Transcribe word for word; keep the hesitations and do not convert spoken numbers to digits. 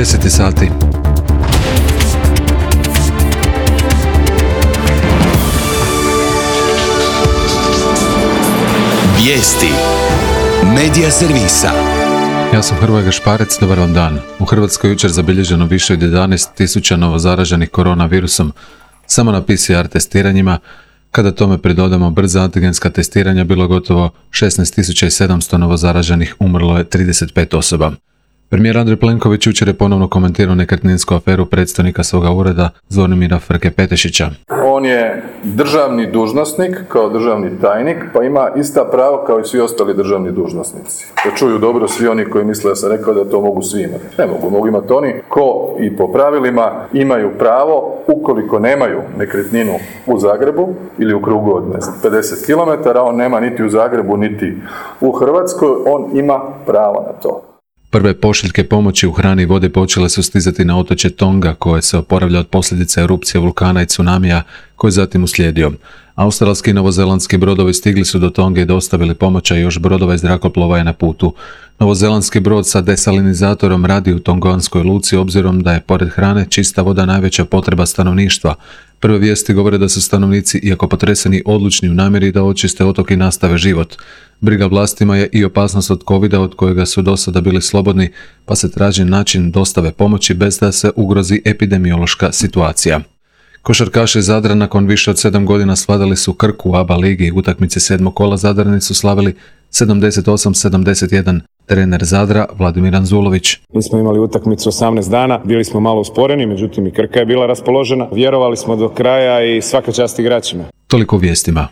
deset sati. Vijesti Medija servisa. Ja sam Hrvoje Gašparec, dobar vam dan. U Hrvatskoj jučer zabilježeno više od jedanaest tisuća novozaraženih koronavirusom, samo na P C R testiranjima. Kada tome pridodamo brza antigenska testiranja, bilo gotovo šesnaest tisuća sedamsto novozaraženih, umrlo je trideset pet osoba. Premijer Andrej Plenković jučer je ponovno komentirao nekretninsku aferu predstojnika svoga ureda Zvonimira Frke-Petešića. On je državni dužnosnik kao državni tajnik, pa ima ista prava kao i svi ostali državni dužnosnici. Da čuju dobro svi oni koji misle da sam rekao da to mogu svi imati. Ne mogu, mogu imati oni ko i po pravilima imaju pravo, ukoliko nemaju nekretninu u Zagrebu ili u krugu od pedeset kilometara, on nema niti u Zagrebu niti u Hrvatskoj, on ima pravo na to. Prve pošiljke pomoći u hrani i vode počele su stizati na otočje Tonga, koje se oporavlja od posljedica erupcije vulkana i tsunamija, koji je zatim uslijedio. Australski i novozelandski brodovi stigli su do Tonge i dostavili pomoć, a još brodova iz zrakoplova je na putu. Novozelandski brod sa desalinizatorom radi u tonganskoj luci, obzirom da je pored hrane čista voda najveća potreba stanovništva. Prve vijesti govore da su stanovnici, iako potreseni, odlučni u namjeri da očiste otok i nastave život. Briga vlastima je i opasnost od covida, od kojega su do sada bili slobodni, pa se traži način dostave pomoći bez da se ugrozi epidemiološka situacija. Košarkaši Zadra nakon više od sedam godina svladali su Krku u A B A ligi. Utakmice sedmog kola Zadrani su slavili sedamdeset osam sedamdeset jedan. Trener Zadra Vladimir Anzulović. Mi smo imali utakmicu osamnaest dana, bili smo malo usporeni, međutim i Krka je bila raspoložena. Vjerovali smo do kraja i svaka čast igračima. Toliko u vijestima.